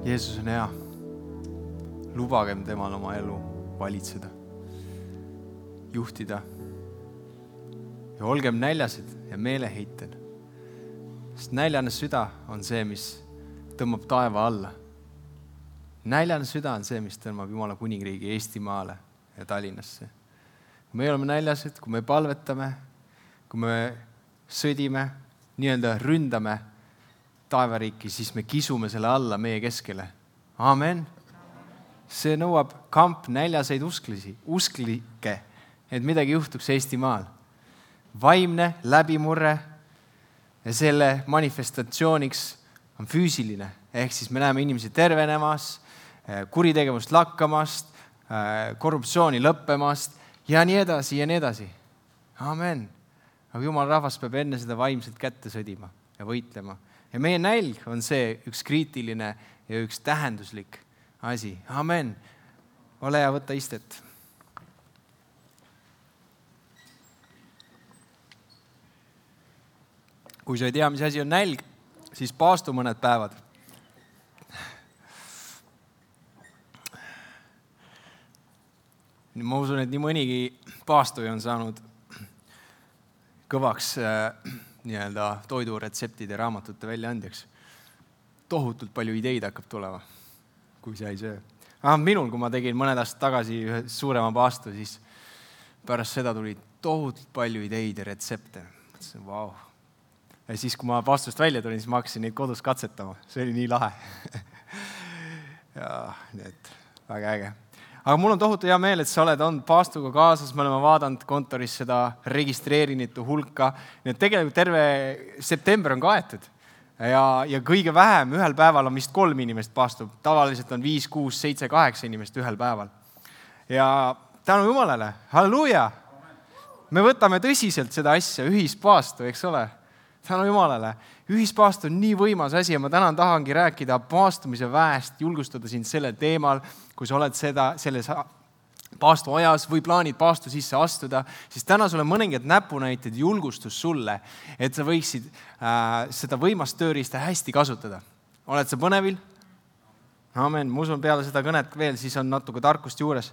Jeesus on hea. Lubagem temal oma elu valitseda, juhtida. Ja olgem näljased ja meeleheitel. Sest näljane süda on see, mis tõmbab taeva alla. Näljane süda on see, mis tõmbab Jumala kuningriigi Eestimaale ja Tallinnasse. Kui me oleme näljased, kui me palvetame, kui me sõdime, nii-öelda ründame taevariiki, siis me kisume selle alla meie keskele. Amen. See nõuab kamp näljaseid usklikke, et midagi juhtuks Eestimaal. Vaimne läbimurre ja selle manifestatsiooniks on füüsiline. Ehk siis me näeme inimesi tervenemast, kuritegevust lakkamast, korruptsiooni lõppemast ja nii edasi ja nii edasi. Amen. Aga Jumala rahvas peab enne seda vaimselt kätte sõdima ja võitlema. Ja meie nälg on see üks kriitiline ja üks tähenduslik asi. Amen. Ole ja võta istet. Kui sa ei tea, mis asi on nälg, siis paastu mõned päevad. Ma usun, et nii mõnigi paastuja on saanud kõvaks toiduretseptide raamatute väljaandjaks. Tohutult palju ideid hakkab tulema, kui sa ei söö. Minul, kui ma tegin mõned aastad tagasi ühe suurema paastu, siis pärast seda tuli tohutult palju ideid ja retsepte. Mõtlesin, vau. Ja siis, kui ma paastust välja tulin, siis ma hakkasin neid kodus katsetama. See oli nii lahe. Ja nii et väga äge. Aga mul on tohutu hea meel, et sa oled olnud paastuga kaasas. Me oleme vaadanud kontoris seda registreerinitu hulka. Nii et tegelikult terve september on kaetud. Ja kõige vähem ühel päeval on vist 3 inimest paastub. Tavaliselt on 5, 6, 7, 8 inimest ühel päeval. Ja tänu Jumalale, halleluuja! Me võtame tõsiselt seda asja, ühispaastu, eks ole? Tänu Jumalale. Ühispaast on nii võimas asi ja ma täna tahangi rääkida paastumise väest, julgustada sind sellel teemal, kui sa oled selles paastu ajas või plaanid paastu sisse astuda, siis täna sulle mõningad näpunäited julgustus sulle, et sa võiksid seda võimast tööriista hästi kasutada. Oled sa põnevil? Amen. Ma usun peale seda kõnet veel, siis on natuke tarkust juures.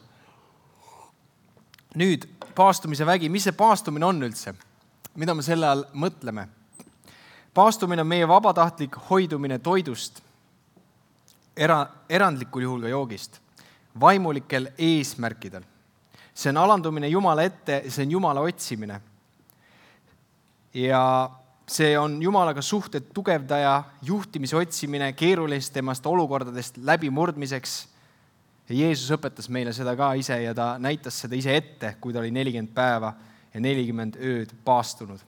Nüüd, paastumise vägi. Mis see paastumine on üldse? Mida me selle all mõtleme? Paastumine on meie vabatahtlik hoidumine toidust, erandlikul juhul ka joogist, vaimulikel eesmärkidel. See on alandumine Jumala ette, see on Jumala otsimine. Ja see on Jumalaga suhted tugevdaja, juhtimise otsimine keerulistemast olukordadest läbimurdmiseks. Ja Jeesus õpetas meile seda ka ise ja ta näitas seda ise ette, kui ta oli 40 päeva ja 40 ööd paastunud.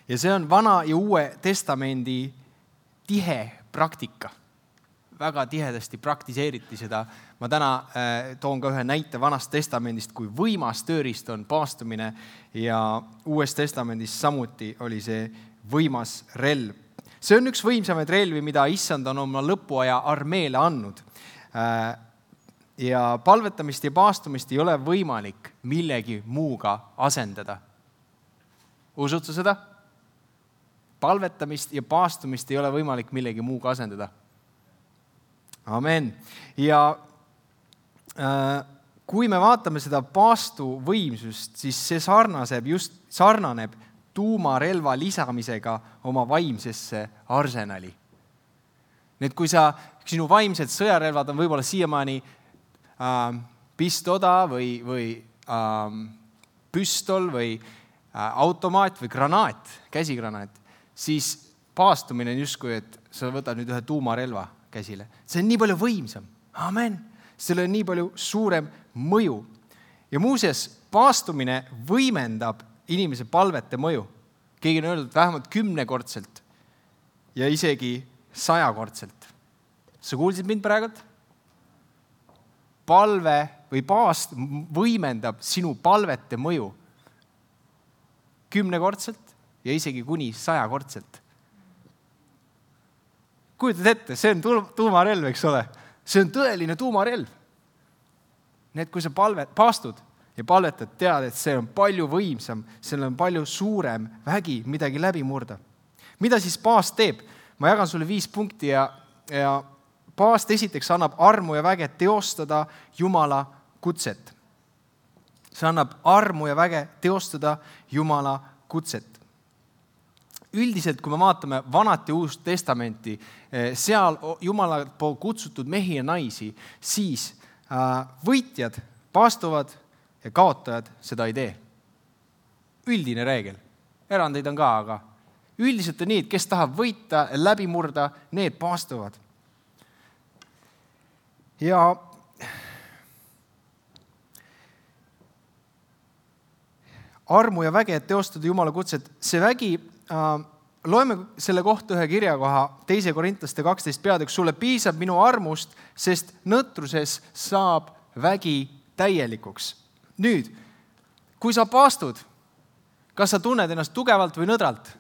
Ja see on Vana ja Uue Testamendi tihe praktika. Väga tihedasti praktiseeriti seda. Ma täna toon ka ühe näite Vanast Testamendist, kui võimas tööriist on paastumine ja Uues Testamendis samuti oli see võimas relv. See on üks võimsamaid relvi, mida Issand on oma lõpuaja armeele andnud. Ja palvetamist ja paastumist ei ole võimalik millegi muuga asendada. Usud sa seda? Palvetamist ja paastumist ei ole võimalik millegi muuga asendada. Amen. Ja kui me vaatame seda paastu võimsust, siis see sarnaneb tuumarelva lisamisega oma vaimsesse arsenali. Need, kui sinu vaimsed sõjarelvad on võib-olla siiamaani pistoda või püstol või automaat või granaat, käsigranaat, siis paastumine on justkui, et sa võtad nüüd ühe tuumarelva käsile. See on nii palju võimsam. Amen. Sellel on nii palju suurem mõju. Ja muuseas, paastumine võimendab inimese palvete mõju. Keegi on öeldud vähemalt 10-kordselt ja isegi 100-kordselt. Sa kuulsid mind praegult? Palve või paast võimendab sinu palvete mõju 10-kordselt ja isegi kuni 100-kordselt. Kujutad ette, see on tuumarelv, eks ole? See on tõeline tuumarelv. Need, kui sa paastud ja palvetad, tead, et see on palju võimsam, seal on palju suurem vägi midagi läbi murda. Mida siis paast teeb? Ma jagan sulle 5 punkti ja paast esiteks annab armu ja väge teostada Jumala kutset. See annab armu ja väge teostada Jumala kutset. Üldiselt, kui me vaatame Vanat ja Uust Testamenti, seal Jumala poolt kutsutud mehi ja naisi, siis võitjad paastuvad ja kaotajad seda ei tee. Üldine reegel. Erandeid on ka, aga üldiselt on nii, et kes tahab võita ja läbi murda, need paastuvad. Ja armu ja väge, et teostada Jumala kutset, see vägi, loeme selle kohta ühe kirjakoha 2 Korintlaste 12 peatükk, sulle piisab minu armust, sest nõtruses saab vägi täielikuks. Nüüd, kui sa paastud, kas sa tunned ennast tugevalt või nõdralt?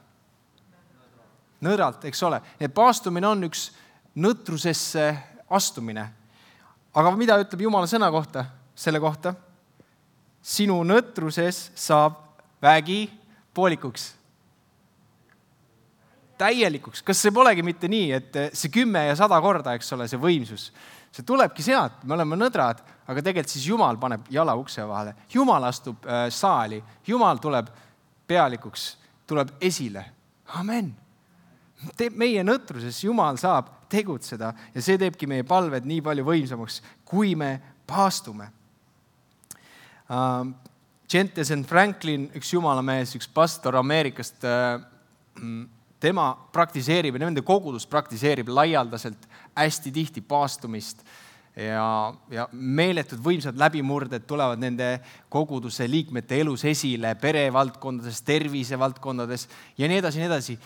Nõdralt, eks ole. Paastumine on üks nõtrusesse astumine. Aga mida ütleb Jumala sõna kohta? Selle kohta? Sinu nõtruses saab vägi poolikuks. Täielikuks. Kas see polegi mitte nii, et see 10 ja 100 korda, eks ole, see võimsus? See tulebki sealt, me oleme nõdrad, aga tegelikult siis Jumal paneb jala ukse vahele. Jumal astub saali, Jumal tuleb pealikuks, tuleb esile. Amen. Meie nõtruses Jumal saab tegutseda ja see teebki meie palved nii palju võimsamaks, kui me paastume. Jentezen Franklin, üks jumalamees, üks pastor Ameerikast, tema praktiseerib ja nende kogudus praktiseerib laialdaselt hästi tihti paastumist ja meeletud võimsad läbimurded tulevad nende koguduse liikmete elus esile, perevaldkondades, tervisevaldkondades ja nii edasi, nii edasi.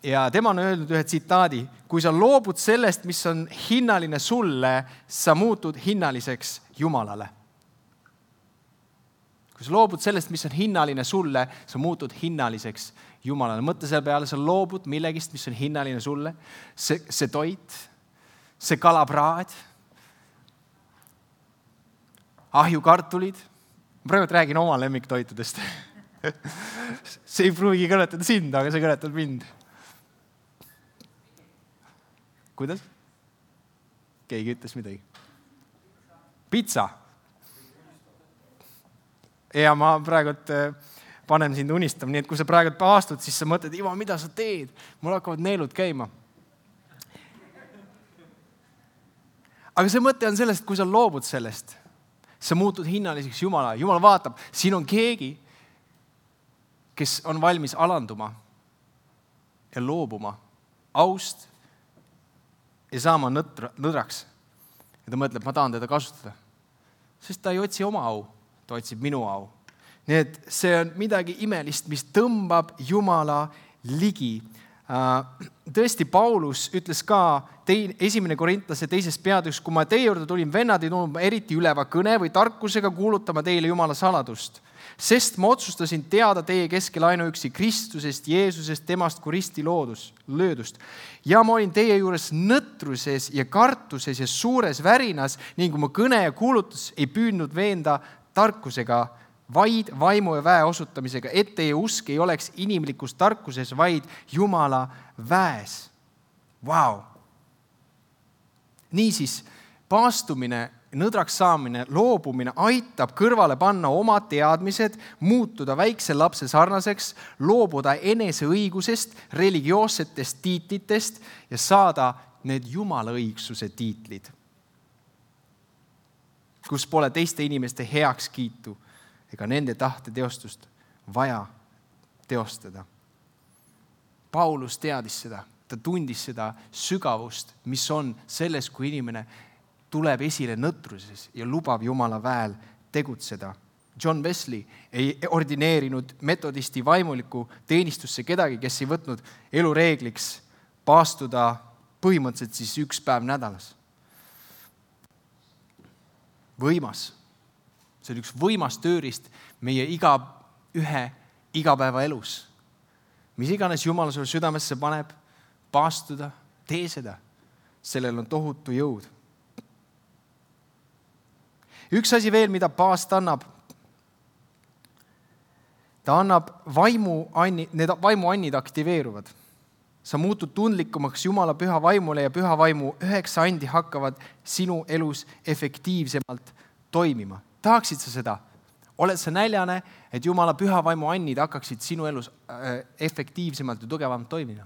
Ja tema on öelnud ühe tsitaadi, kui sa loobud sellest, mis on hinnaline sulle, sa muutud hinnaliseks Jumalale. Kui sa loobud sellest, mis on hinnaline sulle, sa muutud hinnaliseks Jumalale. Mõtle selle peale, sa loobud millegist, mis on hinnaline sulle. See toit, see kalapraad, ahjukartulid. Ma praegu räägin oma lemmiktoitudest. See ei pruugi kõnetada sind, aga see kõnetab mind. Kuidas? Keegi ütles midagi. Pitsa. Ja ma praegu panen sind unistama, nii et kui sa praegu paastud, siis sa mõtled, Ivo, mida sa teed? Mul hakkavad neelud käima. Aga see mõte on sellest, kui sa loobud sellest, sa muutud hinnaliseks Jumala. Jumal vaatab, siin on keegi, kes on valmis alanduma ja loobuma aust ja saama nõdraks. Ja ta mõtleb, ma tahan teda kasutada. Sest ta ei otsi oma au, ta otsib minu au. Nii et see on midagi imelist, mis tõmbab Jumala ligi. Tõesti, Paulus ütles ka 1. Korintlase 2. peatükis, kui ma teie juurde tulin, vennad ei tulnud eriti üleva kõne või tarkusega kuulutama teile Jumala saladust. Sest ma otsustasin teada teie keskel ainuüksi Kristusest, Jeesusest, temast kui risti löödust. Ja ma olin teie juures nõtruses ja kartuses ja suures värinas, ning kui mu kõne ja kuulutus ei püüdnud veenda tarkusega, vaid vaimu ja väe osutamisega, et teie usk ei oleks inimlikus tarkuses, vaid Jumala väes. Vau! Niisiis, paastumine, nõdraks saamine, loobumine aitab kõrvale panna oma teadmised, muutuda väikse lapse sarnaseks, loobuda eneseõigusest, religioossetest tiitlitest ja saada need Jumala õigsuse tiitlid, kus pole teiste inimeste heakskiitu ega nende tahte teostust vaja teostada. Paulus teadis seda, ta tundis seda sügavust, mis on selles, kui inimene tuleb esile nõtruses ja lubab Jumala väel tegutseda. John Wesley ei ordineerinud metodisti vaimuliku teenistusse kedagi, kes ei võtnud elureegliks paastuda põhimõtteliselt siis 1 päev nädalas. Võimas. See on üks võimas tööriist meie igapäeva elus. Mis iganes Jumal sulle südamesse paneb, paastuda, tee seda. Sellel on tohutu jõud. Üks asi veel, mida paast annab. Ta annab need vaimuannid aktiveeruvad. sa muutud tundlikumaks Jumala püha vaimule ja püha vaimu 9 andi hakkavad sinu elus efektiivsemalt toimima. Tahaksid sa seda? Oled sa näljane, et Jumala püha vaimu annid hakkaksid sinu elus efektiivsemalt ja tugevamalt toimima?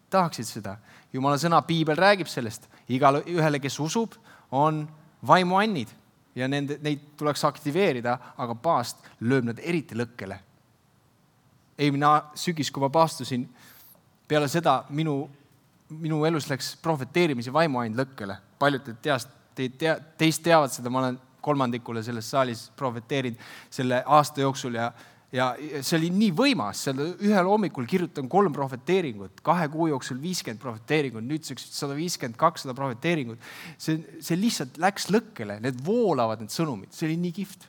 Tahaksid seda? Jumala sõna, Piibel räägib sellest. Igale ühele, kes usub, on vaimu annid ja neid tuleks aktiveerida, aga paast lööb nad eriti lõkkele. Eelmine sügis, kui ma paastusin, peale seda minu elus läks prohveteerimise vaimu ainult lõkkele. Paljud teist teavad seda, ma olen 3 selles saalis prohveteerinud selle aasta jooksul ja see oli nii võimas. Ühel hommikul kirjutan 3 prohveteeringut, 2 kuu jooksul 50 prohveteeringut, nüüdseks 150-200 prohveteeringut. See lihtsalt läks lõkkele, need voolavad, need sõnumid. See oli nii kihvt.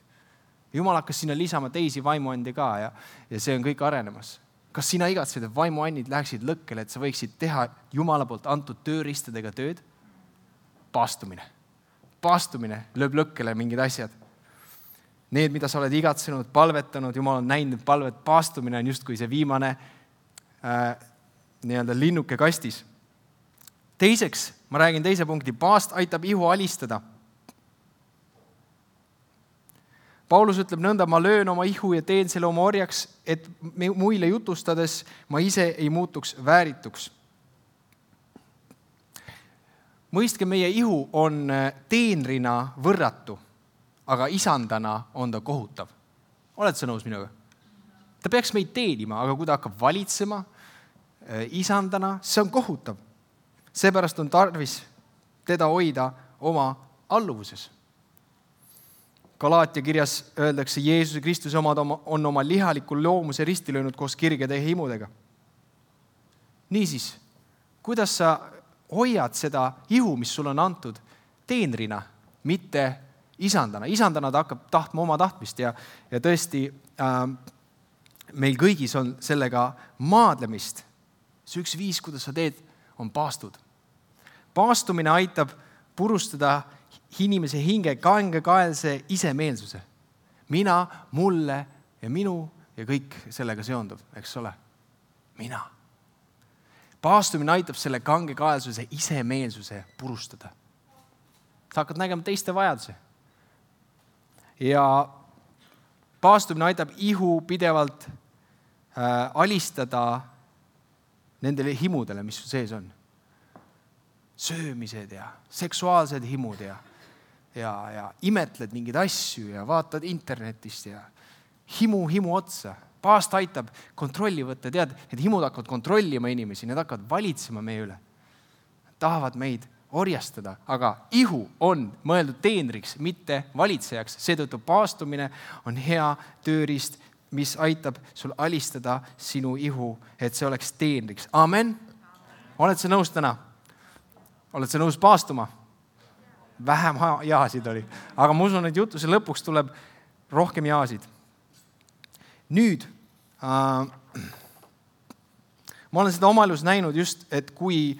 Jumal hakkas sinna lisama teisi vaimuandi ka ja see on kõik arenemas. Kas sina igatsed, et vaimuannid läheksid lõkkele, et sa võiksid teha Jumala poolt antud tööristadega tööd? Paastumine lööb lõkkele mingid asjad. Need, mida sa oled igatsenud, palvetanud, Jumal on näinud palvet, paastumine on justkui see viimane linnuke kastis. Teiseks, ma räägin teise punkti, paast aitab ihu alistada. Paulus ütleb nõnda, ma löön oma ihu ja teen selle oma orjaks, et muile jutustades ma ise ei muutuks väärituks. Mõistke, meie ihu on teenrina võrratu, aga isandana on ta kohutav. Oled sa nõus minuga? Ta peaks meid teenima, aga kui ta hakkab valitsema isandana, see on kohutav. Seepärast on tarvis teda hoida oma alluvuses. Galaatia kirjas öeldakse, Jeesuse Kristuse omad on oma lihaliku loomuse risti löönud koos kirgede ja himudega. Niisiis, kuidas sa hoiad seda ihu, mis sul on antud teenrina, mitte isandana. Isandana ta hakkab tahtma oma tahtmist ja tõesti meil kõigis on sellega maadlemist. See üks viis, kuidas sa teed, on paastud. Paastumine aitab purustada inimese hinge kangekaelse isemeelsuse. Mina, mulle ja minu ja kõik sellega seonduv, eks ole? Mina. Paastumine aitab selle kangekaelsuse isemeelsuse purustada. Sa hakkad nägema teiste vajaduse. Ja paastumine aitab ihu pidevalt alistada nendele himudele, mis sees on. Söömised ja seksuaalsed himud ja imetled mingeid asju ja vaatad internetist ja himu otsa. Paast aitab kontrolli võtta. Tead, et himud hakkavad kontrollima inimesi, need hakkavad valitsema meie üle. Nad tahavad meid orjastada, aga ihu on mõeldud teenriks, mitte valitsejaks. Seetõttu paastumine on hea tööriist, mis aitab sul alistada sinu ihu, et see oleks teenriks. Amen. Oled sa nõus täna? Oled sa nõus paastuma? Vähem jaasid oli. Aga ma usun, et jutuse lõpuks tuleb rohkem jaasid. Nüüd, ma olen seda oma elus näinud just, et kui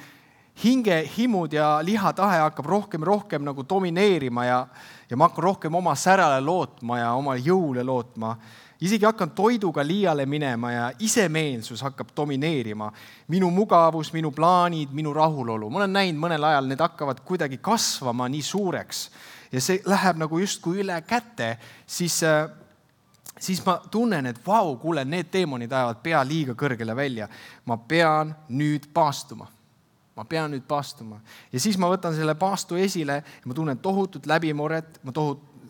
hinge, himud ja lihatahe hakkab rohkem nagu domineerima ja ma hakkan rohkem oma särale lootma ja oma jõule lootma, isegi hakkan toiduga liiale minema ja isemeelsus hakkab domineerima. Minu mugavus, minu plaanid, minu rahulolu. Ma olen näinud mõnel ajal, need hakkavad kuidagi kasvama nii suureks ja see läheb nagu justkui üle käte, siis ma tunnen, et kuule, need teemonid ajavad pea liiga kõrgele välja. Ma pean nüüd paastuma. Ja siis ma võtan selle paastu esile ja ma tunnen tohutut läbimurret, ma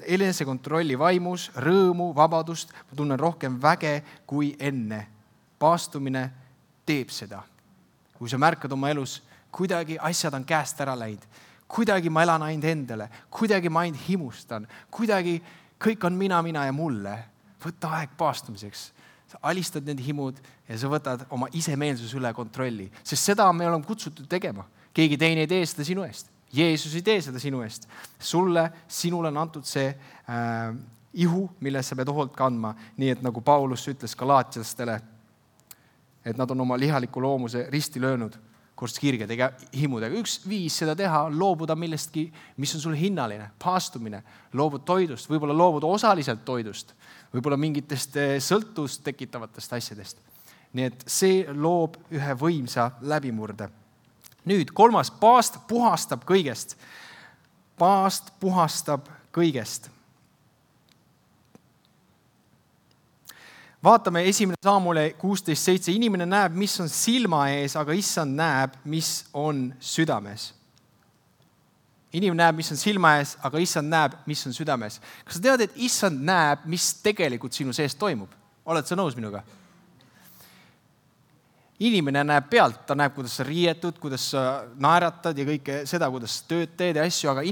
enesekontrolli vaimus, rõõmu, vabadust, ma tunnen rohkem väge kui enne. Paastumine teeb seda. Kui sa märkad oma elus, kuidagi asjad on käest ära läinud, kuidagi ma elan ainult endale, kuidagi ma ainult himustan, kuidagi kõik on mina ja mulle. Võta aeg paastumiseks. Sa alistad need himud ja sa võtad oma isemeelsus üle kontrolli. Sest seda me oleme kutsutud tegema. Keegi teine ei tee seda sinu eest. Jeesus ei tee seda sinu eest. Sinule on antud see ihu, milles sa pead hoolt kandma. Nii et nagu Paulus ütles galaatiastele, et nad on oma lihaliku loomuse risti löönud koos kirgede ja himudega. Üks viis seda teha on loobuda millestki, mis on sul hinnaline, paastumine. Loobud toidust, võib-olla loobud osaliselt toidust, võib-olla mingitest sõltust tekitavatest asjadest. Nii et see loob ühe võimsa läbimurde. Nüüd 3. paast puhastab kõigest. Paast puhastab kõigest. Vaatame 1. Saamule 16.7. Inimene näeb, mis on silma ees, aga issand näeb, mis on südames. Inimene näeb, mis on silma ees, aga issand näeb, mis on südames. Kas sa tead, et issand näeb, mis tegelikult sinu sees toimub? Oled sa nõus minuga? Inimene näeb pealt, ta näeb, kuidas sa riietud, kuidas sa naeratad ja kõike seda, kuidas sa tööd teed ja asju, aga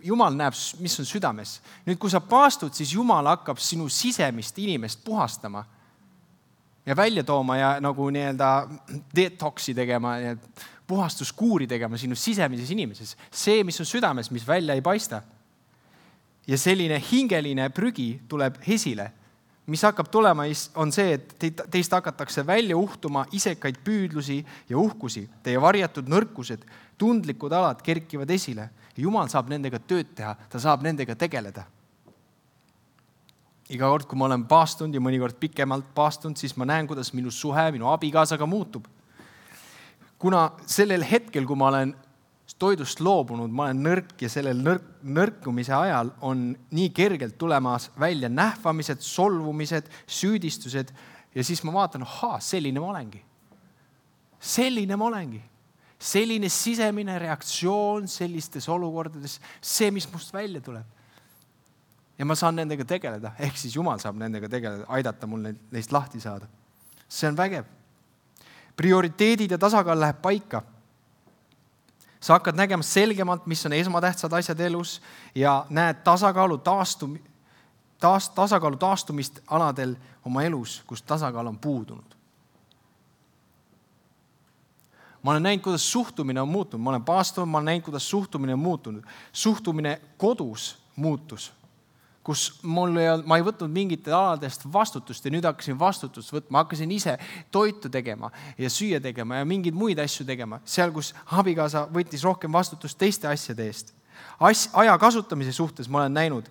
Jumal näeb, mis on südames. Nüüd, kui sa paastud, siis Jumal hakkab sinu sisemist inimest puhastama ja välja tooma ja nagu detoxi tegema ja puhastuskuuri tegema sinu sisemises inimeses. See, mis on südames, mis välja ei paista. Ja selline hingeline prügi tuleb esile. Mis hakkab tulema, on see, et teist hakatakse välja uhtuma isekaid püüdlusi ja uhkusi. Teie varjatud nõrkused, tundlikud alad kerkivad esile. Ja Jumal saab nendega tööd teha, ta saab nendega tegeleda. Iga kord, kui ma olen paastunud ja mõnikord pikemalt paastunud, siis ma näen, kuidas minu suhe, minu abikaasaga muutub. Kuna sellel hetkel, kui ma olen toidust loobunud, ma olen nõrk ja sellel nõrkumise ajal on nii kergelt tulemas välja nähvamised, solvumised, süüdistused ja siis ma vaatan, selline ma olengi. Selline ma olengi. Selline sisemine reaktsioon sellistes olukordades, see, mis must välja tuleb. Ja ma saan nendega tegeleda, ehk siis Jumal saab nendega tegeleda, aidata mul neist lahti saada. See on vägev. Prioriteedid ja tasakaal läheb paika. Sa hakkad nägema selgemalt, mis on esmatähtsad asjad elus ja näed tasakaalu taastumist aladel oma elus, kus tasakaal on puudunud. Ma olen näinud, kuidas suhtumine on muutunud. Ma olen paastunud, ma olen näinud, kuidas suhtumine on muutunud. Suhtumine kodus muutus. Kus ma ei võtnud mingite aladest vastutust ja nüüd hakkasin vastutust võtma. Hakkasin ise toitu tegema ja süüa tegema ja mingeid muid asju tegema. Seal, kus abikaasa võttis rohkem vastutust teiste asjade eest. Aja kasutamise suhtes ma olen näinud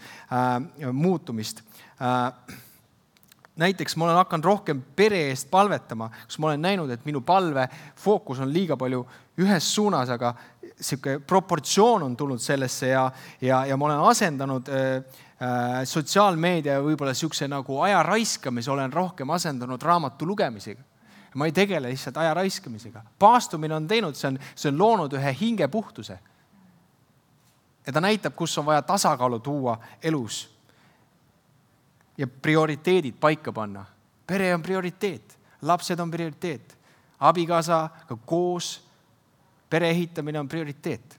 muutumist. Näiteks ma olen hakanud rohkem pere eest palvetama, kus ma olen näinud, et minu palve fookus on liiga palju ühes suunas, aga selline proportsioon on tulnud sellesse ja ma olen asendanud sotsiaalmeedia ja võib-olla siukse nagu aja raiskamise olen rohkem asendanud raamatu lugemisega. Ma ei tegele lihtsalt aja raiskamisega. Paastumine on teinud, see on loonud ühe hingepuhtuse. Ja ta näitab, kus on vaja tasakaalu tuua elus. Ja prioriteedid paika panna. Pere on prioriteet, lapsed on prioriteet, abikaasaga koos pere ehitamine on prioriteet.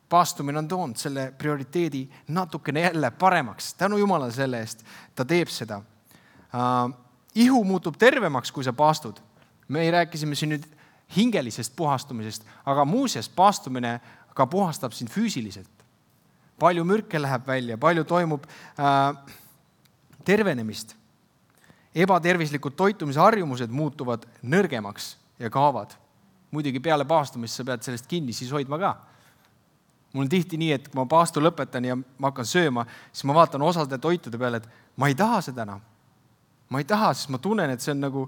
Paastumine on toonud selle prioriteedi natukene jälle paremaks. Tänu Jumalale selle eest, ta teeb seda. Ihu muutub tervemaks, kui sa paastud. Me rääkisime siin nüüd hingelisest puhastumisest, aga muuseas paastumine ka puhastab sind füüsiliselt. Palju mürke läheb välja, palju toimub tervenemist. Ebatervislikud toitumise harjumused muutuvad nõrgemaks ja kaovad. Muidugi peale paastumist sa pead sellest kinni siis hoidma ka. Mul on tihti nii, et kui ma paastu lõpetan ja ma hakkan sööma, siis ma vaatan osade toitude peale, et ma ei taha seda enam. Ma ei taha, sest ma tunnen, et see nagu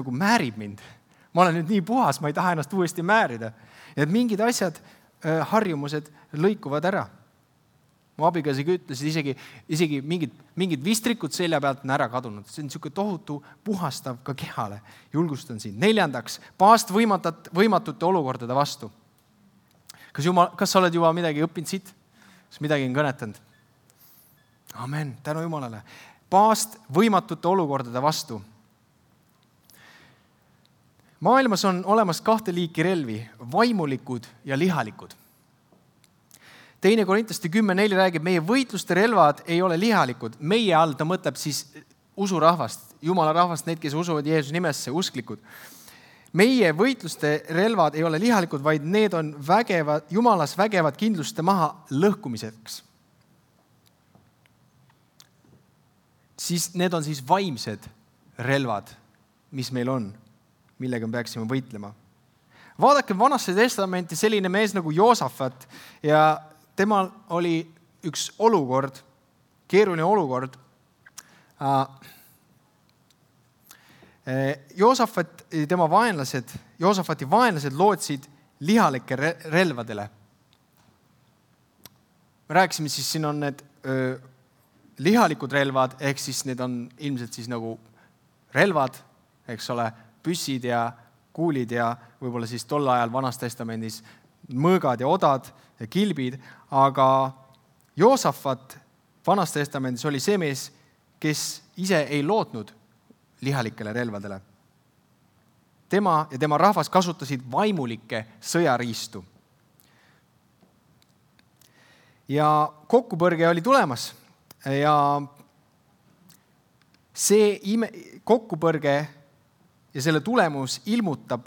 määrib mind. Ma olen nüüd nii puhas, ma ei taha ennast uuesti määrida. Ja et mingid asjad, harjumused lõikuvad ära. Mu abikaasiga ütlesid isegi mingid vistrikud selja pealt on ära kadunud. See on niisugune tohutu puhastav ka kehale. Julgustan siin. 4. paast võimatute olukordade vastu. Kas sa oled juba midagi õppinud siit? Kas midagi on kõnetanud? Amen, tänu Jumalale. Paast võimatute olukordade vastu. Maailmas on olemas 2 liiki relvi, vaimulikud ja lihalikud. 2. Korintaste 10.4 räägib, meie võitluste relvad ei ole lihalikud. Meie all ta mõtleb siis usurahvast, Jumala rahvast, need, kes usuvad Jeesuse nimesse, usklikud. Meie võitluste relvad ei ole lihalikud, vaid need on Jumalas vägevad kindluste maha lõhkumiseks. Siis need on siis vaimsed relvad, mis meil on, millega me peaksime võitlema. Vaadake Vanasse testamenti selline mees nagu Joosafat ja temal oli üks olukord, keeruline olukord. Joosafati vaenlased lootsid lihalike relvadele. Me rääkisime siis, siin on need lihalikud relvad, ehk siis need on ilmselt siis nagu relvad, eks ole, püssid ja kuulid ja võib-olla siis tol ajal Vanas Testamendis mõõgad ja odad ja kilbid, aga Joosafat Vanas Testamendis oli see mees, kes ise ei lootnud lihalikele relvadele. Tema ja tema rahvas kasutasid vaimulikke sõjariistu. Ja kokkupõrge oli tulemas ja see kokkupõrge ja selle tulemus ilmutab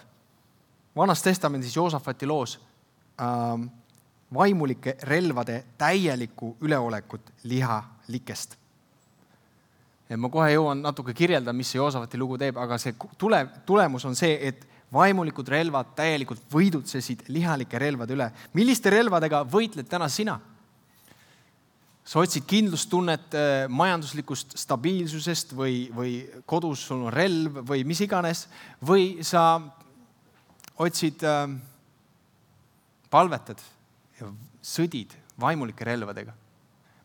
Vanas Testamendis Joosafati loos vaimulike relvade täielikku üleolekut lihalikest. Ja ma kohe jõuan natuke kirjelda, mis see Joosafati lugu teeb, aga see tulemus on see, et vaimulikud relvad täielikult võidutsesid lihalike relvade üle. Milliste relvadega võitled täna sina? Sa otsid kindlustunnet majanduslikust stabiilsusest või kodus sul on relv või mis iganes, või sa otsid, palvetad ja sõdid vaimulike relvadega.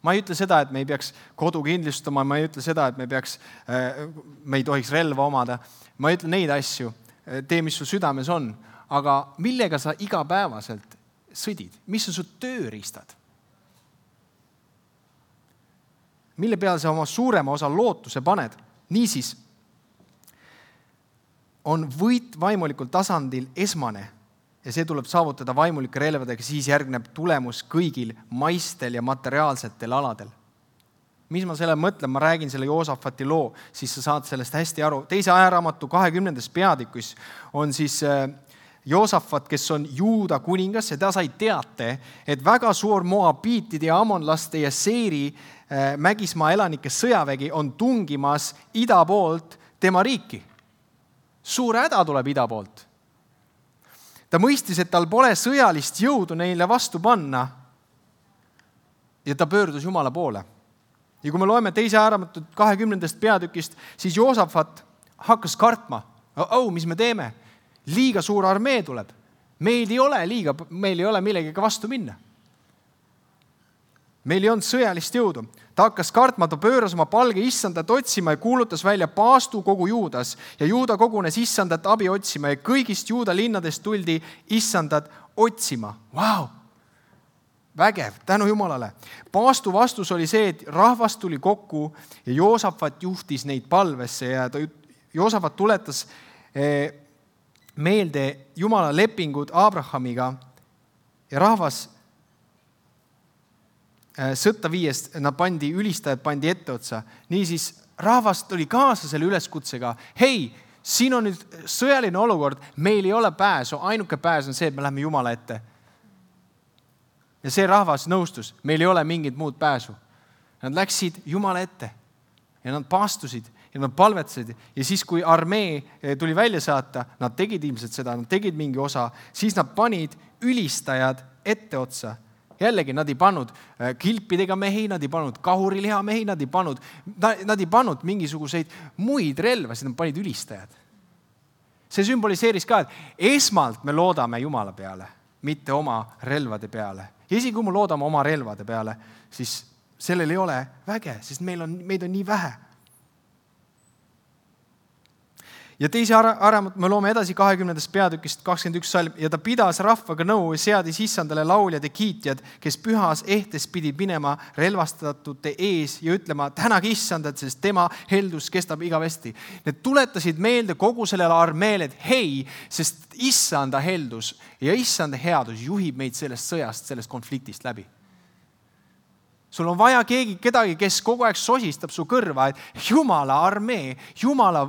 Ma ei ütle seda, et me ei peaks kodu kindlustama, ma ei ütle seda, et me ei tohiks relva omada. Ma ei ütle neid asju, tee, mis su südames on, aga millega sa igapäevaselt sõdid? Mis on su tööriistad? Mille peale sa oma suurema osa lootuse paned? Niisiis on võit vaimulikul tasandil esmane ja see tuleb saavutada vaimulike relvadega, siis järgneb tulemus kõigil maistel ja materiaalsetel aladel. Mis ma selle mõtlen? Ma räägin selle Joosafati loo, siis sa saad sellest hästi aru. Teise ajaraamatu 20. peatükis on siis Joosafat, kes on Juuda kuningas ja ta sai teate, et väga suur Moabiitide ja Amonlaste ja Seiri mägismaa elanike sõjavägi on tungimas ida poolt tema riiki. Suur häda tuleb ida poolt. Ta mõistis, et tal pole sõjalist jõudu neile vastu panna ja ta pöördus Jumala poole. Ja kui me loeme teise ajaraamatu 20. peatükist, siis Joosafat hakkas kartma. Mis me teeme? Liiga suur armee tuleb. Meil ei ole millegagi vastu minna. Meil ei olnud sõjalist jõudu. Ta hakkas kartma, ta pööras oma palge issandat otsima ja kuulutas välja paastu kogu Juudas. Ja Juuda kogunes issandat abi otsima ja kõigist Juuda linnadest tuldi issandat otsima. Vau! Vägev, tänu Jumalale. Paastu vastus oli see, et rahvas tuli kokku ja Joosafat juhtis neid palvesse ja Joosafat tuletas meelde Jumala lepingud Abrahamiga ja rahvas sõtta viiest, ülistajad pandi etteotsa. Niisiis rahvast oli kaasa selle üleskutsega. Hei, siin on nüüd sõjaline olukord, meil ei ole pääsu, ainuke pääs on see, et me läheme Jumala ette. Ja see rahvas nõustus, meil ei ole mingit muud pääsu. Nad läksid Jumala ette ja nad paastusid ja nad palvetsid ja siis, kui armee tuli välja saata, nad tegid ilmselt seda, nad tegid mingi osa, siis nad panid ülistajad etteotsa. Jällegi, nad ei pannud kilpidega mehi, nad ei pannud kahuriliha mehi, nad ei pannud mingisuguseid muid relvasid, nad panid ülistajad. See sümboliseeris ka, et esmalt me loodame Jumala peale, mitte oma relvade peale. Ja isegi kui me loodame oma relvade peale, siis sellel ei ole väge, sest meid on nii vähe. Ja teise aramut me loome edasi 20. peatükist 21 salm ja ta pidas rahvaga nõu ja seadis issandale lauljad ja kiitjad, kes pühas ehtes pidi minema relvastatute ees ja ütlema, tänage issandat, sest tema heldus kestab igavesti. Need tuletasid meelde kogu sellele armeele, et hei, sest issanda heldus ja issanda headus juhib meid sellest sõjast, sellest konfliktist läbi. Sul on vaja kedagi, kes kogu aeg sosistab su kõrva, et Jumala armee, Jumala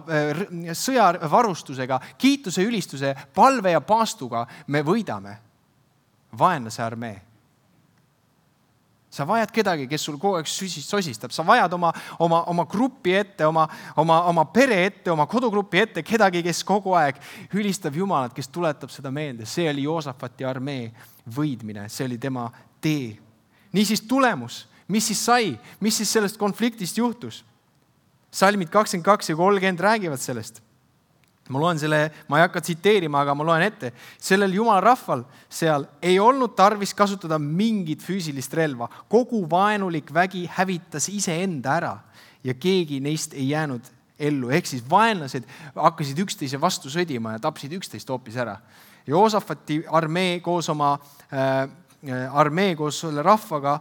sõjavarustusega, kiituse, ülistuse, palve ja paastuga me võidame vaenlase armee. Sa vajad kedagi, kes sul kogu aeg sosistab. Sa vajad oma grupi ette, oma pere ette, oma kodugrupi ette, kedagi, kes kogu aeg ülistab Jumalat, kes tuletab seda meelde. See oli Joosafati armee võidmine, see oli tema tee. Niisiis tulemus, mis siis sai, mis siis sellest konfliktist juhtus? Salmid 22 ja 30 räägivad sellest. Ma loen selle, ma ei hakka tsiteerima, aga ma loen ette. Sellel Jumala rahval seal ei olnud tarvis kasutada mingit füüsilist relva. Kogu vaenulik vägi hävitas iseenda ära ja keegi neist ei jäänud ellu. Ehk siis vaenlased hakkasid üksteise vastu sõdima ja tapsid üksteist hoopis ära. Joosafati armee koos selle rahvaga,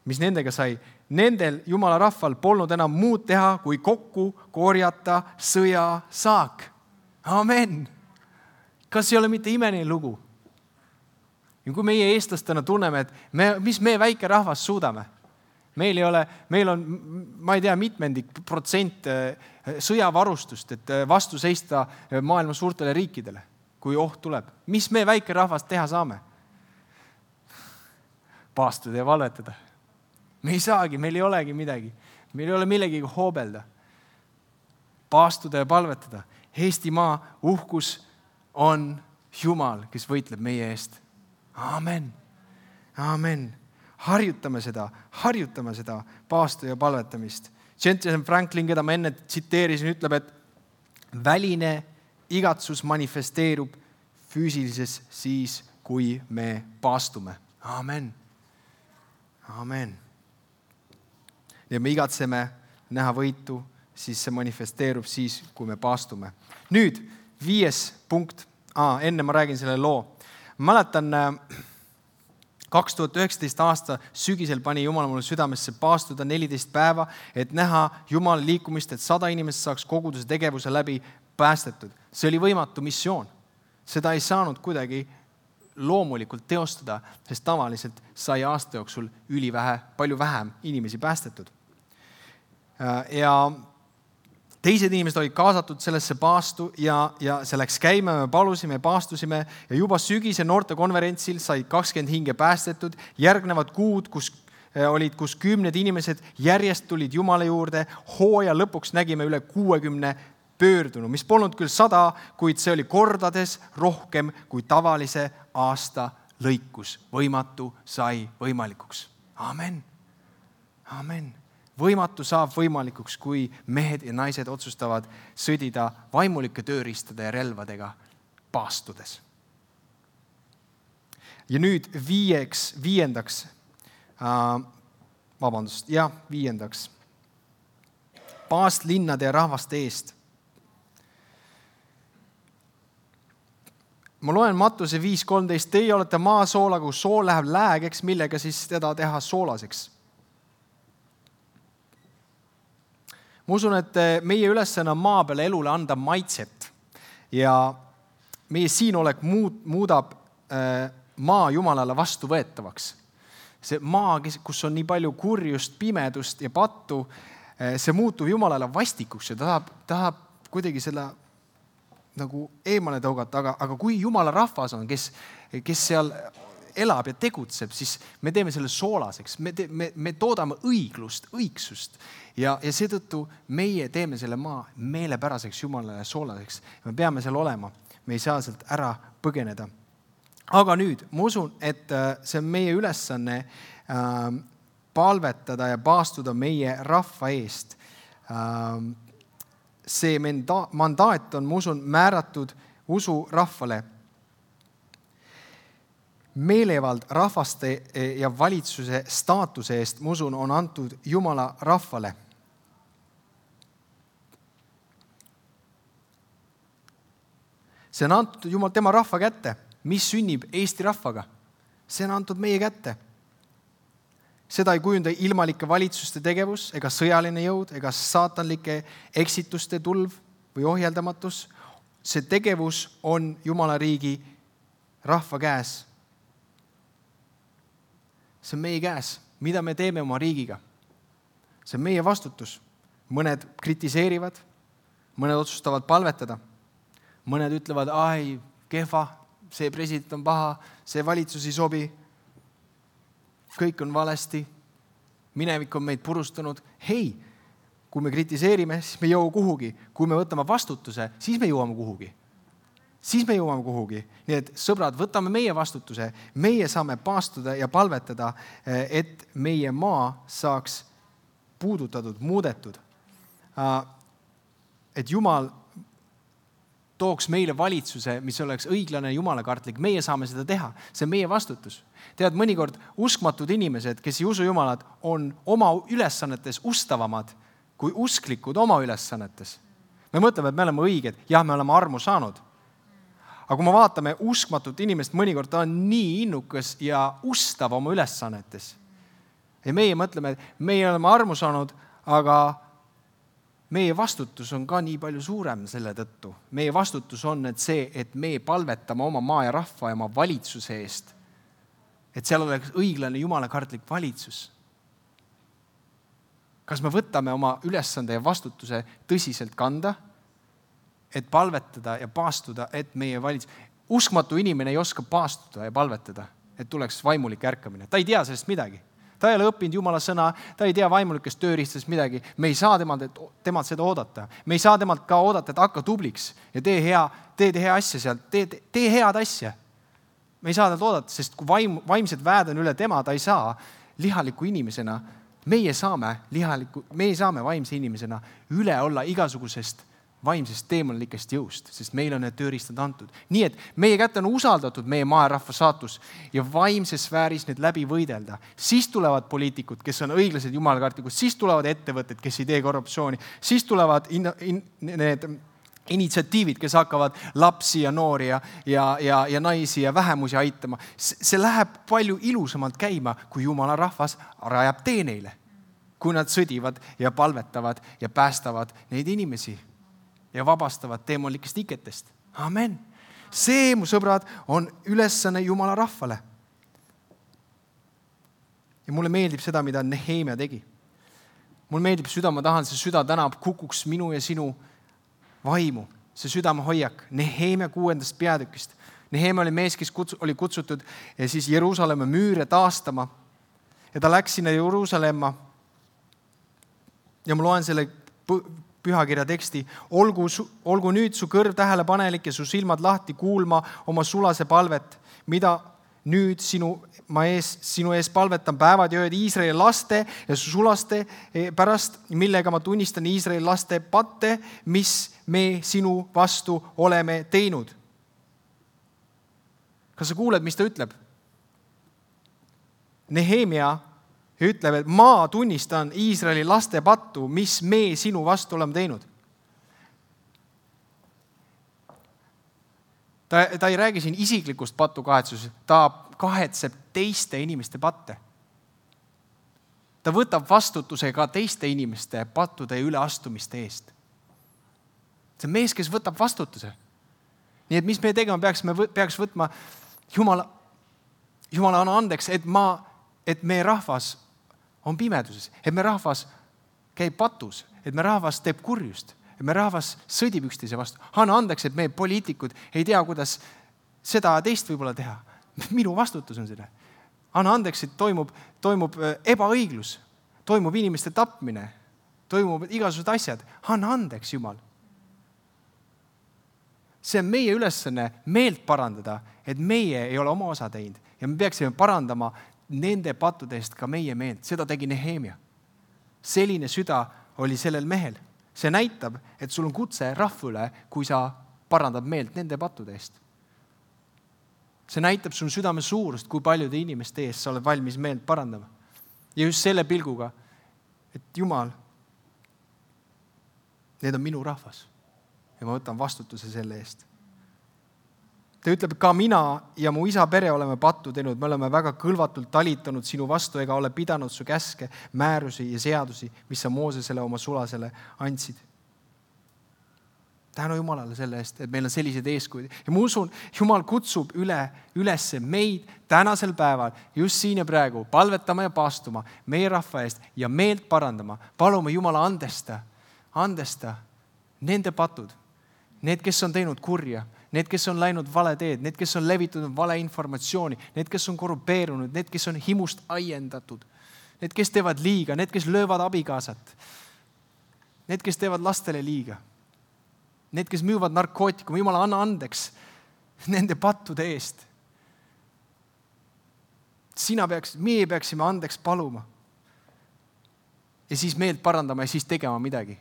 mis nendega sai, nendel Jumala rahval polnud enam muud teha, kui kokku korjata sõjasaak. Amen. Kas ei ole mitte imeline lugu? Ja kui meie eestlastena tunneme, et mis me väike rahvas suudame? Meil on, ma ei tea, mitmendik protsent sõjavarustust, et vastu seista maailma suurtele riikidele, kui oht tuleb. Mis me väike rahvas teha saame? Paastuda ja valvetada. Me ei saagi, meil ei olegi midagi. Meil ei ole millegagi hoobelda. Paastuda ja palvetada. Eestimaa uhkus on Jumal, kes võitleb meie eest. Amen. Amen. Harjutame seda paastu ja palvetamist. Jensen Franklin, keda ma enne tsiteerisin, ütleb, et väline igatsus manifesteerub füüsilises siis, kui me paastume. Amen. Amen. Ja me igatseme näha võitu, siis see manifesteerub siis, kui me paastume. Nüüd 5. punkt. Enne ma räägin selle loo. Ma mäletan 2019 aasta sügisel pani Jumal mulle südamesse paastuda 14 päeva, et näha Jumala liikumist, et 100 inimest saaks koguduse tegevuse läbi päästetud. See oli võimatu missioon. Seda ei saanud kuidagi loomulikult teostada, sest tavaliselt sai aasta jooksul palju vähem inimesi päästetud. Ja teised inimesed olid kaasatud sellesse paastu ja see läks käima, me palusime, paastusime ja juba sügise noortekonverentsil said 20 hinge päästetud. Järgnevad kuud, kus 10 inimesed järjest tulid Jumala juurde, hooaja lõpuks nägime üle 60 pöördunu, mis polnud küll 100, kuid see oli kordades rohkem kui tavalise aasta lõikus. Võimatu sai võimalikuks. Amen. Amen. Võimatu saab võimalikuks, kui mehed ja naised otsustavad sõdida vaimulike tööriistade ja relvadega paastudes. Ja nüüd viiendaks. Paast linnade ja rahvaste eest. Ma loen Mattuse 5.13. Teie olete maasoola, kui sool läheb läägeks, millega siis teda teha soolaseks. Ma usun, et meie ülesanne on maa peale elule anda maitset ja meie siinolek muudab maa Jumalale vastuvõetavaks. See maa, kus on nii palju kurjust, pimedust ja pattu, see muutub Jumalale vastikuks ja tahab kuidagi selle nagu eemale tõugata, aga kui Jumala rahvas on, kes seal elab ja tegutseb, siis me teeme selle soolaseks, me toodame õigsust ja seetõttu meie teeme selle maa meelepäraseks Jumalale soolaseks. Me peame seal olema, me ei saa sealt ära põgeneda. Aga nüüd, ma usun, et see on meie ülesanne palvetada ja paastuda meie rahva eest. See mandaat on, ma usun, määratud usu rahvale. Meelevald rahvaste ja valitsuse staatuse eest, ma usun, on antud Jumala rahvale. See on antud Jumal tema rahva kätte. Mis sünnib Eesti rahvaga? See on antud meie kätte. Seda ei kujunda ilmalike valitsuste tegevus ega sõjaline jõud ega saatanlike eksituste tulv või ohjeldamatus. See tegevus on Jumala riigi rahva käes. See on meie käes. Mida me teeme oma riigiga? See on meie vastutus. Mõned kritiseerivad, mõned otsustavad palvetada. Mõned ütlevad, kehva, see president on paha, see valitsus ei sobi. Kõik on valesti, minevik on meid purustanud. Hei, kui me kritiseerime, siis me ei jõua kuhugi. Kui me võtame vastutuse, siis me jõuame kuhugi. Nii et sõbrad, võtame meie vastutuse. Meie saame paastuda ja palvetada, et meie maa saaks puudutatud, muudetud. Et Jumal tooks meile valitsuse, mis oleks õiglane ja jumalakartlik. Meie saame seda teha. See on meie vastutus. Tead, mõnikord uskmatud inimesed, kes ei usu Jumalat, on oma ülesannetes ustavamad kui usklikud oma ülesannetes. Me mõtleme, et me oleme õiged. Jah, me oleme armu saanud. Aga kui me vaatame uskmatut inimest, mõnikord ta on nii innukas ja ustav oma ülesannetes. Ja meie mõtleme, et meie oleme armu saanud, aga meie vastutus on ka nii palju suurem selle tõttu. Meie vastutus on et me palvetame oma maa ja rahva ja oma valitsuse eest. Et seal oleks õiglane jumalakartlik valitsus. Kas me võtame oma ülesande ja vastutuse tõsiselt kanda, et palvetada ja paastuda, et meie uskmatu inimene ei oska paastuda ja palvetada, et tuleks vaimulik ärkamine. Ta ei tea sellest midagi. Ta ei ole õppinud Jumala sõna, ta ei tea vaimulikest tööriistast midagi. Me ei saa temalt seda oodata. Me ei saa temalt ka oodata, et hakka tubliks ja tee hea asja sealt, tee head asja. Me ei saa talt oodata, sest kui vaimsed väed on üle tema, ta ei saa lihaliku inimesena, meie saame vaimse inimesena üle olla igasugusest vaimsest teemonlikest jõust, sest meil on need tööriistad antud. Nii et meie kätte on usaldatud meie maa ja rahva saatus ja vaimses sfääris need läbi võidelda. Siis tulevad poliitikud, kes on õiglased jumalakartlikud, siis tulevad ettevõtted, kes ei tee korruptsiooni, siis tulevad need initsiatiivid, kes hakkavad lapsi ja noori ja naisi ja vähemusi aitama. See läheb palju ilusamalt käima, kui Jumala rahvas rajab tee neile, kui nad sõdivad ja palvetavad ja päästavad neid inimesi ja vabastavad teemonlikest iketest. Amen. See, mu sõbrad, on ülesanne Jumala rahvale. Ja mulle meeldib seda, mida Nehemia tegi. Mulle meeldib süda, ma tahan, see süda täna kukuks minu ja sinu vaimu. See südame hoiak. Nehemia 6. peatükist. Nehemia oli mees, kes oli kutsutud ja siis Jeruusalemma müüre taastama. Ja ta läks sinna Jeruusalemma. Ja ma loen selle pühakirja teksti. Olgu nüüd su kõrv tähelepanelik ja su silmad lahti kuulma oma sulase palvet, mida nüüd sinu ees palvetan päevad ja ööd Iisraeli laste ja su sulaste pärast, millega ma tunnistan Iisraeli laste patte, mis me sinu vastu oleme teinud. Kas sa kuuled, mis ta ütleb? Nehemia ütleb, et ma tunnistan Iisraeli laste pattu, mis me sinu vastu oleme teinud. Ta ei räägi siin isiklikust patu kahetsusest, ta kahetseb teiste inimeste patte. Ta võtab vastutuse ka teiste inimeste pattude üleastumiste eest. See on mees, kes võtab vastutuse. Nii et mis me tegema peaks võtma, Jumala anna andeks, et meie rahvas on pimeduses, et me rahvas käib patus, et me rahvas teeb kurjust, et me rahvas sõdib üksteise vastu. Anna andeks, et meie poliitikud ei tea, kuidas seda teist võib-olla teha. Minu vastutus on seda. Anna andeks, et toimub ebaõiglus, toimub inimeste tapmine, toimub igasugused asjad. Anna andeks, Jumal. See on meie ülesanne meelt parandada, et meie ei ole oma osa teinud ja me peaksime parandama nende pattude eest ka meie meelt. Seda tegi Nehemia. Selline süda oli sellel mehel. See näitab, et sul on kutse rahva üle, kui sa parandad meelt nende pattude eest. See näitab sul südame suurust, kui paljude inimeste eest sa oled valmis meelt parandama. Ja just selle pilguga, et Jumal, need on minu rahvas ja ma võtan vastutuse selle eest. Ta ütleb, ka mina ja mu isa pere oleme pattu teinud, me oleme väga kõlvatult talitanud sinu vastu ega ole pidanud su käske, määrusi ja seadusi, mis sa Moosesele oma sulasele andsid. Tänu Jumalale selle eest, et meil on sellised eeskujud. Ja ma usun, Jumal kutsub üles meid tänasel päeval, just siin ja praegu, palvetama ja paastuma meie rahva eest ja meelt parandama. Palume Jumala andesta nende patud, need, kes on teinud kurja, need, kes on läinud vale teed, need, kes on levitanud vale informatsiooni, need, kes on korrupeerunud, need, kes on himust aiendatud, need, kes teevad liiga, need, kes löövad abikaasat, need, kes teevad lastele liiga, need, kes müüvad narkootikum, Jumala, anna andeks nende pattude eest. Meie peaksime andeks paluma ja siis meelt parandama ja siis tegema midagi.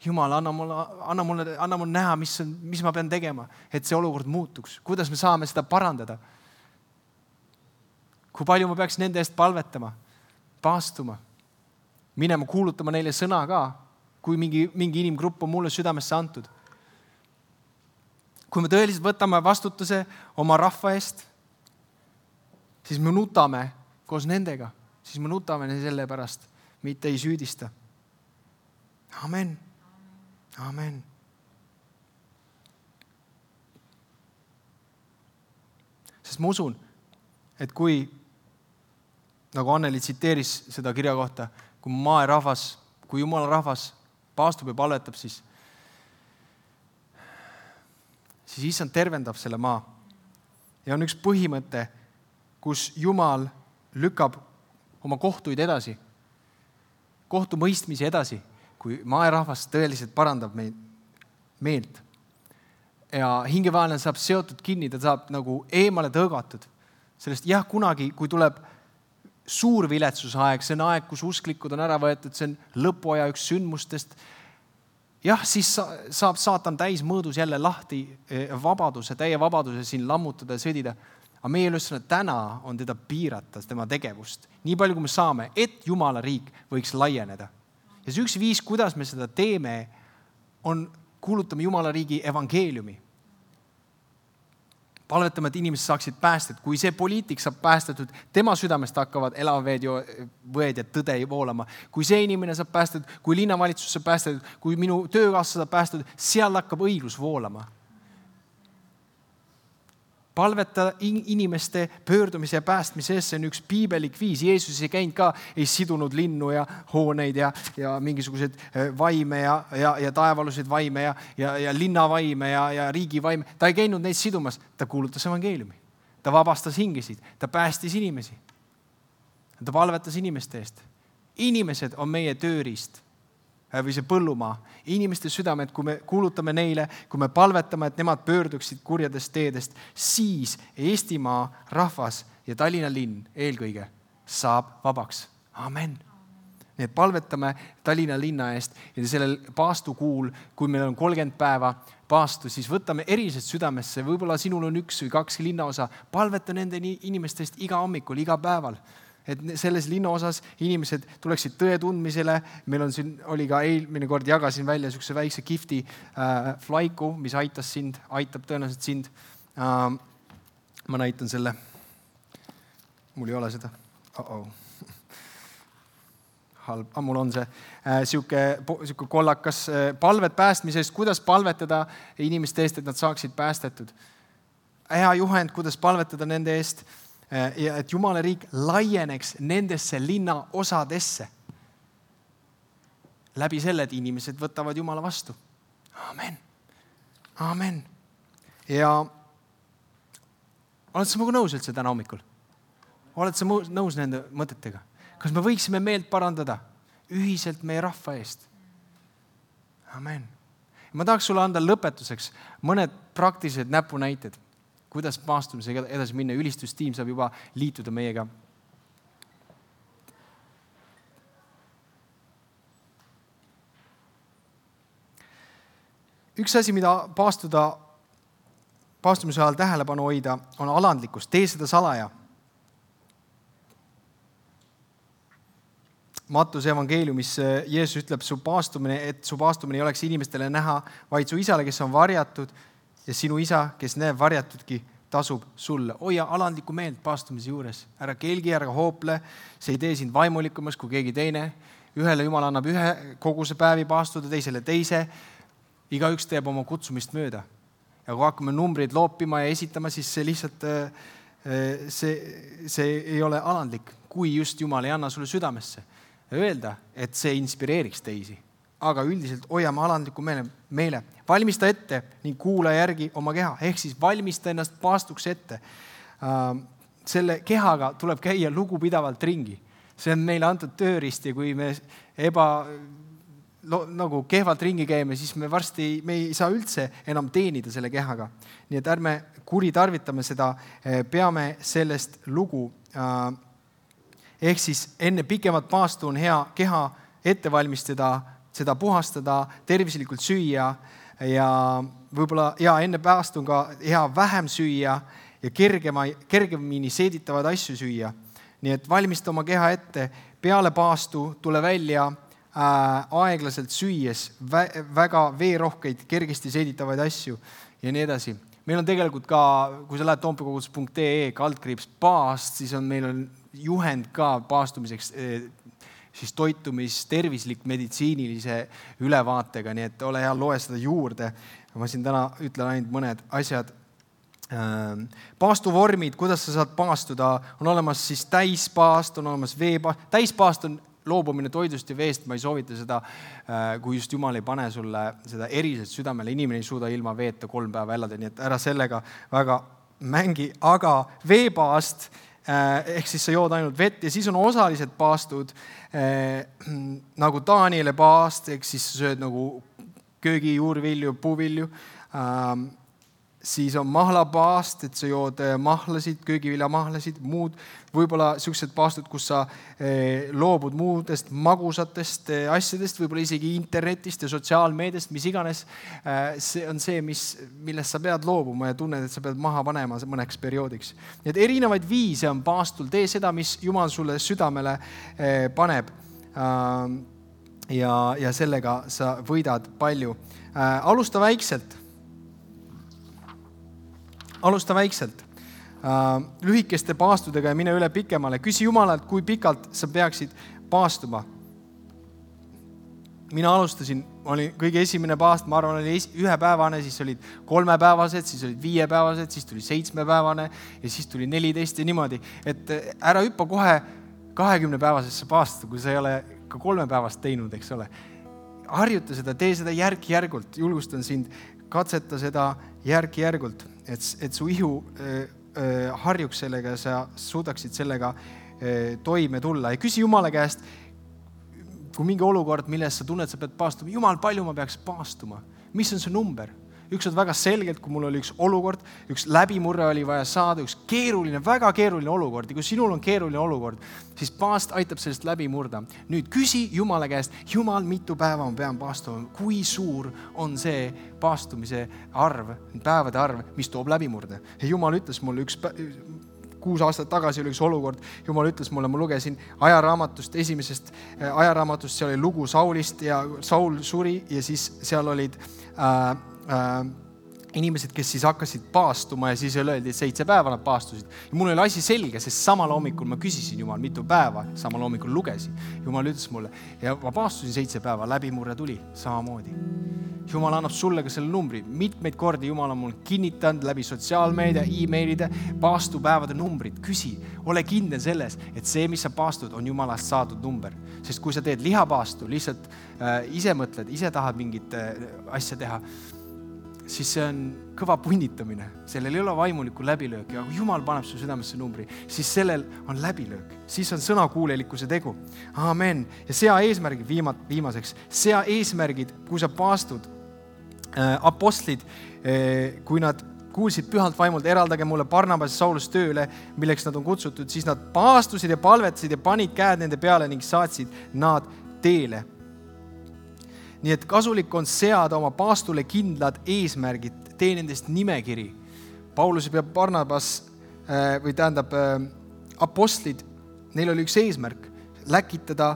Jumal, anna mulle näha, mis ma pean tegema, et see olukord muutuks. Kuidas me saame seda parandada? Kui palju ma peaks nende eest palvetama, paastuma, minema kuulutama neile sõna ka, kui mingi inimgrupp on mulle südamesse antud. Kui me tõeliselt võtame vastutuse oma rahva eest, siis me nutame koos nendega. Siis me nutame selle pärast, mitte ei süüdista. Amen. Amen. Sest ma usun, et kui, nagu Anneli tsiteeris seda kirja kohta, kui maaerahvas, kui Jumala rahvas paastub ja palvetab, siis issand tervendab selle maa. Ja on üks põhimõte, kus Jumal lükkab oma kohtuid edasi, kohtumõistmisi edasi, kui maaerahvas tõeliselt parandab meelt. Ja hingevaenlane saab seotud kinni, ta saab nagu eemale tõugatud. Sellest kunagi, kui tuleb suur viletsusaeg, see on aeg, kus usklikud on ära võetud, see on lõpuaja üks sündmustest. Siis saab saatan täis mõõdus jälle lahti täie vabaduse siin lammutada ja sõdida. Aga meie ülesanne täna on teda piirata, tema tegevust. Nii palju, kui me saame, et Jumala riik võiks laieneda. Ja see üks viis, kuidas me seda teeme, on kuulutame Jumala riigi evangeeliumi. Palvetame, et inimesed saaksid päästet. Kui see poliitik saab päästetud, tema südamest hakkavad elaveed võed ja tõde voolama. Kui see inimene saab päästetud, kui linnavalitsus saab päästetud, kui minu töökaassa saab päästetud, seal hakkab õiglus voolama. Palveta inimeste pöördumise ja päästmise eest, see on üks piibelik viis. Jeesus ei käinud ka, ei sidunud linnu ja hooneid ja mingisugused vaime ja taevalusid vaime ja linnavaime ja riigi vaime. Ta ei käinud neid sidumas, ta kuulutas evangeeliumi. Ta vabastas hingesid, ta päästis inimesi. Ta palvetas inimeste eest. Inimesed on meie tööriist või see põllumaa. Inimeste südamed, kui me kuulutame neile, kui me palvetame, et nemad pöörduksid kurjadest teedest, siis Eestimaa rahvas ja Tallinna linn eelkõige saab vabaks. Amen. Nii et palvetame Tallinna linna eest ja sellel paastukuul, kui meil on 30 päeva paastu, siis võtame erilised südamesse. Võib-olla sinul on 1 või 2 linnaosa. Palveta nende inimestest iga hommikul, iga päeval. Et selles linnaosas inimesed tuleksid tõe tundmisele. Meil on siin, oli ka eelmine kord jagasin välja niisuguse väikse kifti flaiku, mis aitab tõenäoliselt sind. Ma näitan selle. Mul ei ole seda. Halb. Mul on see siuke kollakas palvet päästmisest, kuidas palvetada inimeste eest, et nad saaksid päästetud. Hea juhend, kuidas palvetada nende eest, ja et Jumala riik laieneks nendesse linna osadesse. Läbi selle, et inimesed võtavad Jumala vastu. Amen. Amen. Ja oled sa minuga nõus üldse täna hommikul? Oled sa nõus nende mõtetega? Kas me võiksime meelt parandada ühiselt meie rahva eest? Amen. Ma tahaks sulle anda lõpetuseks mõned praktilised näpunäited, kuidas paastumisega edasi minna. Ülistustiim saab juba liituda meiega. Üks asi, mida paastumise ajal tähelepanu hoida, on alandlikkus. Tee seda salaja. Mattuse evangeeliumis Jeesus ütleb, et su paastumine ei oleks inimestele näha, vaid su isale, kes on varjatud, ja sinu isa, kes näeb varjatudki, tasub sulle. Hoia alandlikku meelt paastumise juures. Ära kelgi, ära hoople. See ei tee sind vaimulikumas kui keegi teine. Ühele Jumal annab ühe koguse päevi paastuda, teisele teise. Igaüks teeb oma kutsumist mööda. Ja kui hakkame numbrid loopima ja esitama, siis see lihtsalt see ei ole alandlik, kui just Jumal ei anna sulle südamesse. Öelda, et see inspireeriks teisi. Aga üldiselt hoiame alandliku meele. Valmista ette ning kuula järgi oma keha. Ehk siis valmista ennast paastuks ette. Selle kehaga tuleb käia lugupidavalt ringi. See on meile antud tööriist ja kui me nagu kehvalt ringi käime, siis me ei saa üldse enam teenida selle kehaga. Nii et ärme kuritarvitame seda, peame sellest lugu. Ehk siis enne pikemat paastu on hea keha ette valmistada seda puhastada, tervislikult süüa ja võib-olla enne päästu on ka hea vähem süüa ja kergemini seeditavaid asju süüa. Nii et valmista oma keha ette, peale paastu tule välja aeglaselt süües väga veerohkeid, kergesti seeditavaid asju ja nii edasi. Meil on tegelikult ka, kui sa lähed toompeokogudus.ee/paast, siis meil on juhend ka paastumiseks, siis toitumis, tervislik, meditsiinilise ülevaatega, nii et ole hea, loe seda juurde. Ma siin täna ütlen ainult mõned asjad. Paastuvormid, kuidas sa saad paastuda, on olemas siis täispaast, on olemas veepaast. Täispaast on loobumine toidust ja veest, ma ei soovita seda, kui just Jumal ei pane sulle seda eriselt südamele. Inimene ei suuda ilma veeta 3 päeva elada, nii et ära sellega väga mängi. Aga veepaast, ehk siis sa jood ainult vett ja siis on osalised paastud, nagu Daniele paast, ehk siis sa sööd nagu köögi, juurvilju, puuvilju. Siis on mahlapaast, et sa jood mahlasid, köögiviljamahlasid, muud võib-olla sellised paastud, kus sa loobud muudest magusatest asjadest, võib-olla isegi internetist ja sotsiaalmeediast, mis iganes. See on see, millest sa pead loobuma ja tunned, et sa pead maha panema mõneks perioodiks. Nii et erinevaid viise on paastul, tee seda, mis Jumal sulle südamele paneb ja sellega sa võidad palju. Alusta väikselt. Lühikeste paastudega ja mine üle pikemale. Küsi Jumalalt, kui pikalt sa peaksid paastuma. Mina alustasin, oli kõige esimene paast, ma arvan, oli 1-päevane, siis olid 3-päevased, siis olid 5-päevased, siis tuli 7-päevane ja siis tuli 14 ja niimoodi. Et ära hüppa kohe 20-päevasesse paastu, kui sa ei ole ka 3 päevast teinud, eks ole. Harjuta seda, tee seda järk-järgult. Julgustan sind, katseta seda järk-järgult. Et su ihu harjuks sellega ja sa suudaksid sellega toime tulla. Ja küsi Jumala käest, kui mingi olukord, milles sa tunned, sa pead paastuma. Jumal, palju ma peaks paastuma? Mis on see number? Üks on väga selgelt, kui mul oli üks olukord, üks läbimurre oli vaja saada, üks keeruline, väga keeruline olukord. Ja kui sinul on keeruline olukord, siis paast aitab sellest läbi murda. Nüüd küsi Jumala käest, Jumal, mitu päeva ma pean paastuma? Kui suur on see paastumise arv, päevade arv, mis toob läbimurde? Ja Jumal ütles mulle 6 aastat tagasi oli üks olukord, Jumal ütles mulle, ma lugesin ajaraamatust, esimesest ajaraamatust, seal oli lugu Saulist ja Saul suri ja siis seal olid inimesed, kes siis hakkasid paastuma ja siis öeldi, et 7 päeva nad paastusid. Ja mul oli asi selge, sest samal hommikul ma küsisin Jumal, mitu päeva, samal hommikul lugesin. Jumal ütles mulle ja ma paastusin 7 päeva, läbimurre tuli samamoodi. Jumal annab sulle ka selle numbri. Mitmeid kordi Jumal on mul kinnitanud läbi sotsiaalmeedia, e-mailide, paastupäevade numbrid. Küsi, ole kindel selles, et see, mis sa paastud, on Jumalast saadud number. Sest kui sa teed lihapaastu, lihtsalt ise mõtled, ise tahad mingit asja teha, siis see on kõva punnitamine. Sellel ei ole vaimulikku läbilöök ja kui Jumal paneb su südamesse numbri, siis sellel on läbilöök. Siis on sõnakuulelikkuse tegu. Amen. Ja sea eesmärgid viimaseks. Sea eesmärgid, kui sa paastud, apostlid, kui nad kuulsid pühalt vaimult, eraldage mulle Barnabas ja Saulus tööle, milleks nad on kutsutud, siis nad paastusid ja palvetasid ja panid käed nende peale ning saatsid nad teele. Nii et kasulik on seada oma paastule kindlad eesmärgid, tee nendest nimekiri. Paulus ja Barnabas, apostlid, neil oli üks eesmärk, läkitada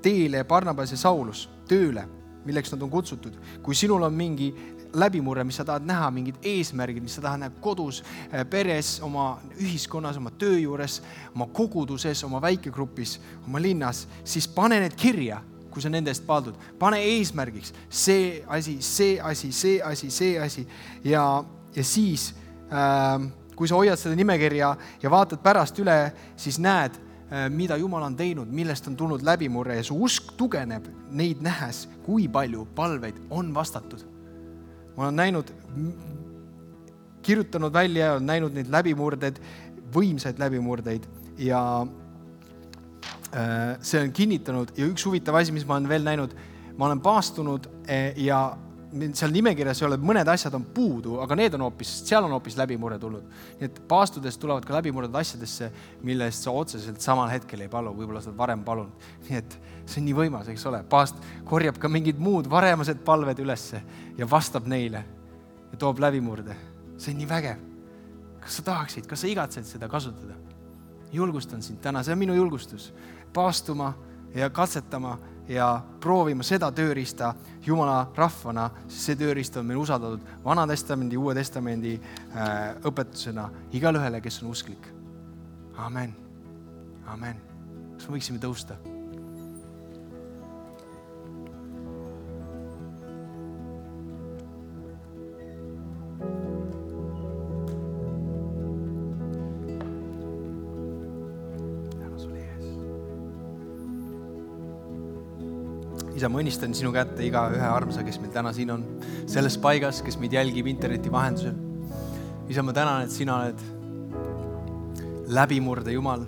teele Barnabas ja Saulus tööle, milleks nad on kutsutud. Kui sinul on mingi läbimurre, mis sa tahad näha, mingid eesmärgid, mis sa tahad näha kodus, peres, oma ühiskonnas, oma töö juures, oma koguduses, oma väikegrupis, oma linnas, siis pane need kirja. Kui sa nende eest paaldud, pane eesmärgiks see asi ja siis, kui sa hoiad seda nimekirja ja vaatad pärast üle, siis näed, mida Jumal on teinud, millest on tulnud läbimurre ja su usk tugeneb neid nähes, kui palju palveid on vastatud. Ma olen näinud, kirjutanud välja ja olen näinud neid läbimurded, võimsaid läbimurdeid ja see on kinnitanud ja üks huvitav asi, mis ma olen veel näinud, ma olen paastunud ja seal nimekirjas ei ole, mõned asjad on puudu, aga seal on hoopis läbimurre tulnud. Nii et paastudes tulevad ka läbimurred asjadesse, mille eest sa otseselt samal hetkel ei palu, võib-olla sa oled varem palunud. Nii et see on nii võimas, eks ole. Paast korjab ka mingid muud varemased palved ülesse ja vastab neile ja toob läbimurde. See on nii vägev. Kas sa tahaksid, kas sa igatsed seda kasutada? Julgustan sind täna, see on minu julgustus. Paastuma ja katsetama ja proovima seda tööriista Jumala rahvana, sest see tööriist on meil usaldatud Vana Testamendi, Uue Testamendi õpetusena igale ühele, kes on usklik. Amen. Amen. Kas me võiksime tõusta? Isa, ma õnnistan sinu kätte iga ühe armsa, kes meil täna siin on, selles paigas, kes meid jälgib interneti vahendusel. Isa, ma tänan, et sina oled läbimurde Jumal.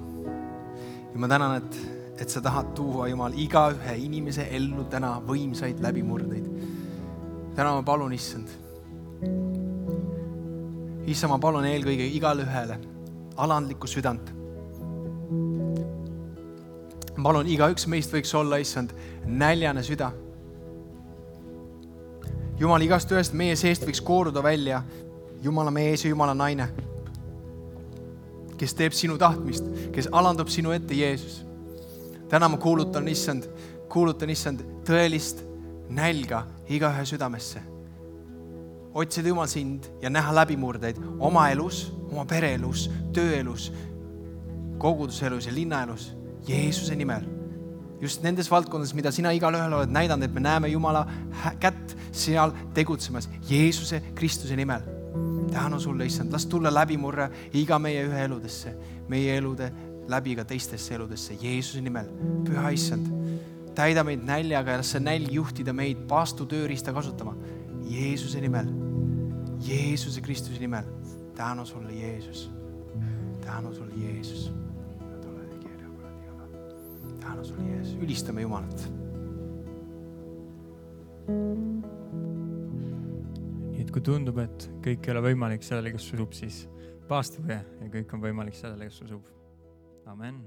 Ja ma tänan, et sa tahad tuua, Jumal, iga ühe inimese ellu täna võimsaid läbimurdeid. Täna ma palun, issand. Issa, ma palun eelkõige igale ühele alandlikku südant. Ma palun, igaüks meist võiks olla, issand, näljane süda. Jumal, igast ühest meie seest võiks kooruda välja Jumala mees ja Jumala naine, kes teeb sinu tahtmist, kes alandub sinu ette, Jeesus. Täna ma kuulutan, issand, tõelist nälga iga ühe südamesse. Otsida Jumal sind ja näha läbimurdeid oma elus, oma pereelus, tööelus, koguduselus ja linnaelus. Jeesuse nimel. Just nendes valdkondades, mida sina igal ühel oled näidanud, et me näeme Jumala kätt seal tegutsemas. Jeesuse Kristuse nimel. Tänu sulle, issand. Las tulla läbimurre iga meie ühe eludesse. Meie elude läbi ka teistesse eludesse. Jeesuse nimel. Püha issand. Täida meid näljaga ja las see nälg juhtida meid paastu tööriista kasutama. Jeesuse nimel. Jeesuse Kristuse nimel. Tänu sulle, Jeesus. Tänu sulle, Jeesus. Tänu sulle, Jeesus. Ülistame Jumalat. Nii et kui tundub, et kõik ei ole võimalik sellele, kes usub, siis paastuge ja kõik on võimalik sellele, kes usub. Amen.